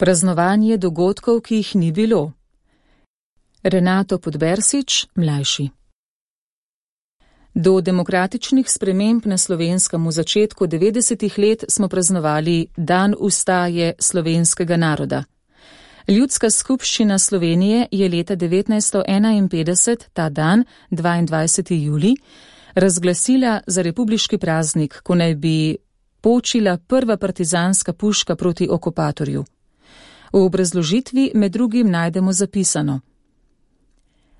Praznovanje dogodkov, ki jih ni bilo. Renato Podbersič, mlajši. Do demokratičnih sprememb na Slovenskem v začetku 90. let smo praznovali Dan ustaje slovenskega naroda. Ljudska skupščina Slovenije je leta 1951, ta dan, 22. julij, razglasila za republiški praznik, ko naj bi počila prva partizanska puška proti okupatorju. V obrazložitvi med drugim najdemo zapisano: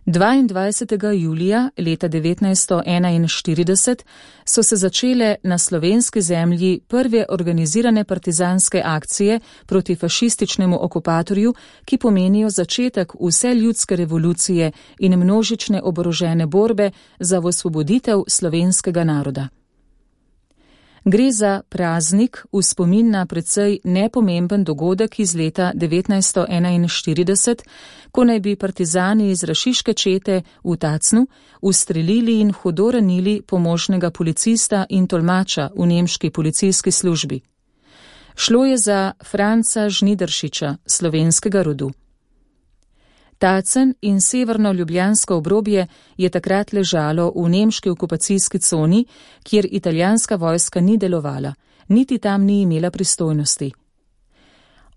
22. julija leta 1941 so se začele na slovenski zemlji prve organizirane partizanske akcije proti fašističnemu okupatorju, ki pomenijo začetek vseljudske revolucije in množične oborožene borbe za osvoboditev slovenskega naroda. Gre za praznik v spomin na precej nepomemben dogodek iz leta 1941, ko naj bi partizani iz rašiške čete v Tacnu ustrelili in hudo ranili pomožnega policista in tolmača v nemški policijski službi. Šlo je za Franca Žnidaršiča, slovenskega rodu. Tacen in severno ljubljansko obrobje je takrat ležalo v nemški okupacijski coni, kjer italijanska vojska ni delovala, niti tam ni imela pristojnosti.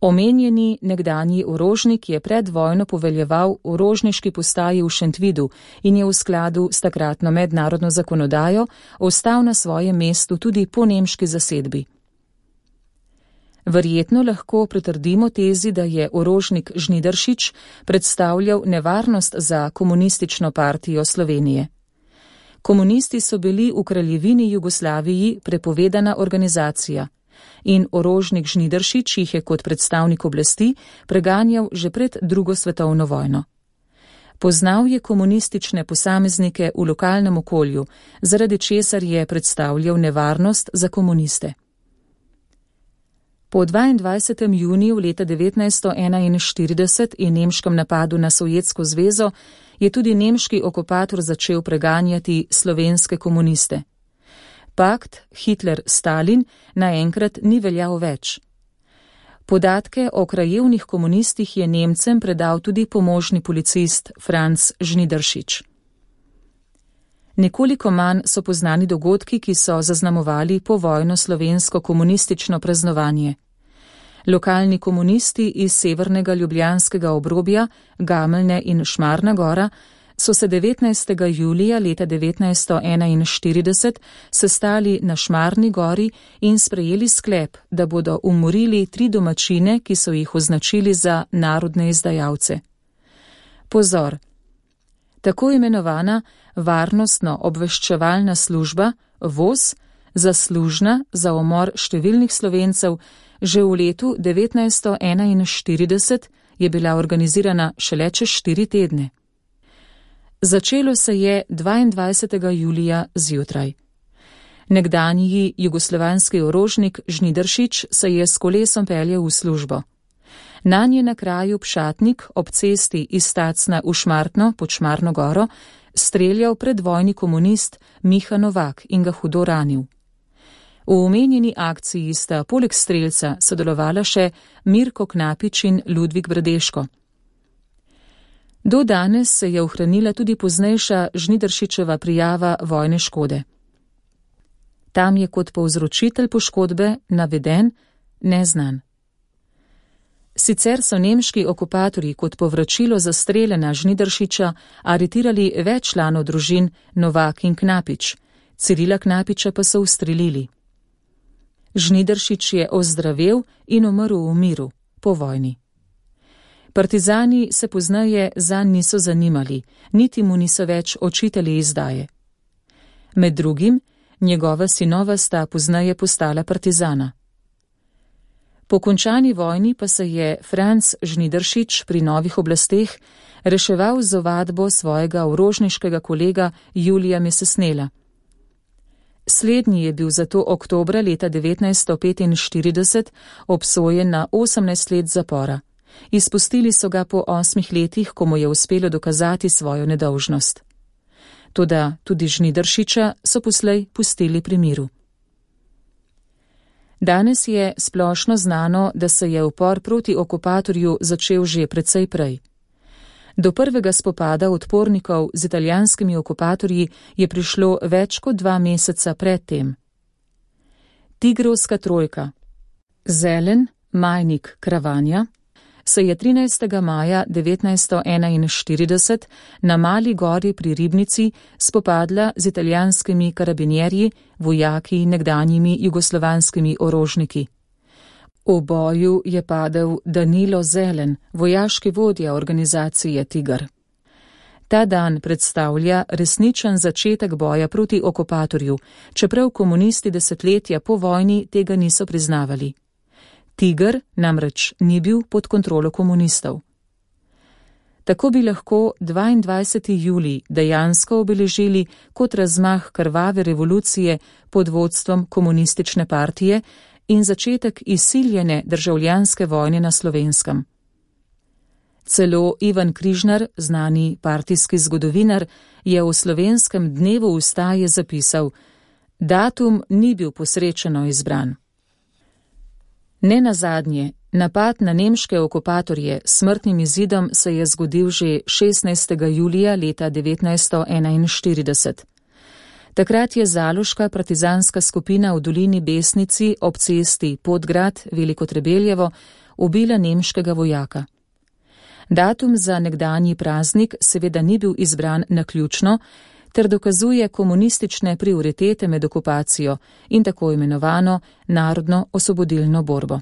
Omenjeni nekdanji orožnik je pred vojno poveljeval v orožniški postaji v Šentvidu in je v skladu s takratno mednarodno zakonodajo ostal na svojem mestu tudi po nemški zasedbi. Verjetno lahko pritrdimo tezi, da je orožnik Žnidaršič predstavljal nevarnost za komunistično partijo Slovenije. Komunisti so bili v kraljevini Jugoslaviji prepovedana organizacija in orožnik Žnidaršič jih je kot predstavnik oblasti preganjal že pred drugo svetovno vojno. Poznal je komunistične posameznike v lokalnem okolju, zaradi česar je predstavljal nevarnost za komuniste. Po 22. juniju leta 1941 in nemškem napadu na Sovjetsko zvezo je tudi nemški okupator začel preganjati slovenske komuniste. Pakt Hitler-Stalin naenkrat ni veljal več. Podatke o krajevnih komunistih je Nemcem predal tudi pomožni policist Franc Žnidaršič. Nekoliko manj so poznani dogodki, ki so zaznamovali povojno slovensko komunistično praznovanje. Lokalni komunisti iz severnega ljubljanskega obrobja, Gameljne in Šmarna gora, so se 19. julija leta 1941 sestali na Šmarni gori in sprejeli sklep, da bodo umorili 3 domačine, ki so jih označili za narodne izdajalce. Pozor! Tako imenovana varnostno-obveščevalna služba, VOS, zaslužna za umor številnih Slovencev, že v letu 1941 je bila organizirana šele čez 4 tedne. Začelo se je 22. julija zjutraj. Nekdanji jugoslovanski orožnik Žnidaršič se je s kolesom peljal v službo. Nanj je na kraju Pšatnik ob cesti iz Tacna v Šmartno pod Šmarno goro streljal predvojni komunist Miha Novak in ga hudo ranil. V omenjeni akciji sta poleg strelca sodelovala še Mirko Knapič in Ludvik Bradeško. Do danes se je ohranila tudi poznejša Žnidaršičeva prijava vojne škode. Tam je kot povzročitelj poškodbe naveden neznan. Sicer so nemški okupatorji kot povračilo za strele na Žnidaršiča aretirali več članov družin Novak in Knapič, Cirila Knapiča pa so ustrelili. Žnidaršič je ozdravel in umrl v miru, po vojni. Partizani se pozneje zanj niso zanimali, niti mu niso več očitali izdaje. Med drugim, njegova sinova sta pozneje postala partizana. Po končani vojni pa se je Franc Žnidaršič pri novih oblasteh reševal z ovadbo svojega orožniškega kolega Julija Mesesnela. Slednji je bil zato oktobra leta 1945 obsojen na 18 let zapora. Izpustili so ga po 8 letih, ko mu je uspelo dokazati svojo nedolžnost. Toda tudi Žnidaršiča so poslej pustili pri miru. Danes je splošno znano, da se je upor proti okupatorju začel že precej prej. Do prvega spopada odpornikov z italijanskimi okupatorji je prišlo več kot 2 meseca pred tem. Tigrovska trojka. Zelen, Majnik, Kravanja se je 13. maja 1941 na Mali gori pri Ribnici spopadla z italijanskimi karabinjerji, vojaki nekdanjimi jugoslovanskimi orožniki. V boju je padel Danilo Zelen, vojaški vodja organizacije Tigar. Ta dan predstavlja resničen začetek boja proti okupatorju, čeprav komunisti desetletja po vojni tega niso priznavali. Tigar namreč ni bil pod kontrolo komunistov. Tako bi lahko 22. julij dejansko obeležili kot razmah krvave revolucije pod vodstvom komunistične partije in začetek izsiljene državljanske vojne na Slovenskem. Celo Ivan Križnar, znani partijski zgodovinar, je v slovenskem dnevu ustaje zapisal: datum ni bil posrečeno izbran. Nenazadnje, napad na nemške okupatorje s smrtnim izidom se je zgodil že 16. julija leta 1941. Takrat je zaloška partizanska skupina v dolini Besnici ob cesti Podgrad Veliko Trebeljevo ubila nemškega vojaka. Datum za nekdanji praznik seveda ni bil izbran naključno, ter dokazuje komunistične prioritete med okupacijo in tako imenovano narodno-osvobodilno borbo.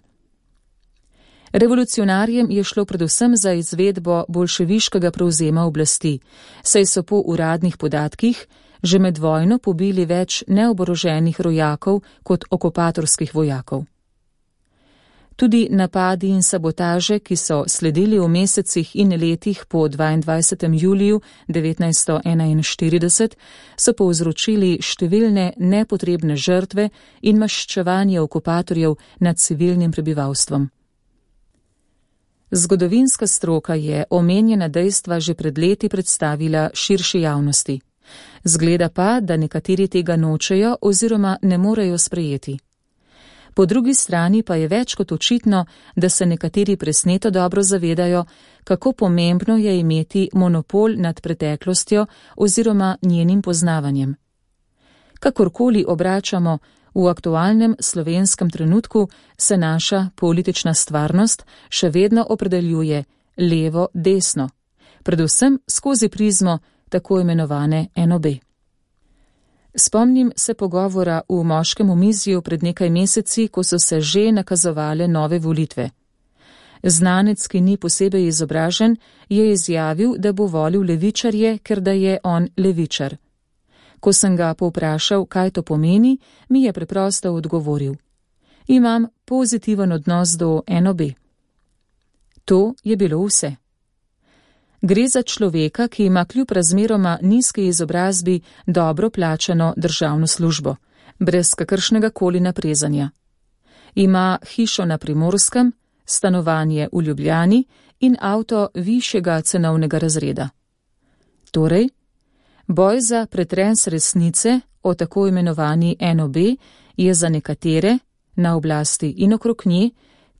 Revolucionarjem je šlo predvsem za izvedbo bolševiškega prevzema oblasti, saj so po uradnih podatkih že med vojno pobili več neoboroženih rojakov kot okupatorskih vojakov. Tudi napadi in sabotaže, ki so sledili v mesecih in letih po 22. juliju 1941, so povzročili številne nepotrebne žrtve in maščevanje okupatorjev nad civilnim prebivalstvom. Zgodovinska stroka je omenjena dejstva že pred leti predstavila širši javnosti. Zgleda pa, da nekateri tega nočejo oziroma ne morejo sprejeti. Po drugi strani pa je več kot očitno, da se nekateri presneto dobro zavedajo, kako pomembno je imeti monopol nad preteklostjo oziroma njenim poznavanjem. Kakorkoli obračamo, v aktualnem slovenskem trenutku se naša politična stvarnost še vedno opredeljuje levo-desno, predvsem skozi prizmo tako imenovane NOB. Spomnim se pogovora v moškem omizju pred nekaj meseci, ko so se že nakazovale nove volitve. Znanec, ki ni posebej izobražen, je izjavil, da bo volil levičarje, ker da je on levičar. Ko sem ga povprašal, kaj to pomeni, mi je preprosto odgovoril: imam pozitiven odnos do NOB. To je bilo vse. Gre za človeka, ki ima kljub razmeroma nizki izobrazbi dobro plačano državno službo, brez kakršnega koli naprezanja. Ima hišo na Primorskem, stanovanje v Ljubljani in avto višjega cenovnega razreda. Torej, boj za pretres resnice o tako imenovani NOB je za nekatere, na oblasti in okrog nje,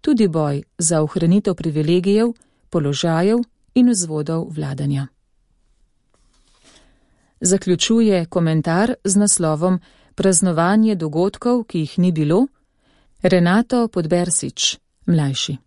tudi boj za ohranitev privilegijev, položajev in vzvodov vladanja. Zaključuje komentar z naslovom Praznovanje dogodkov, ki jih ni bilo, Renato Podbersič, mlajši.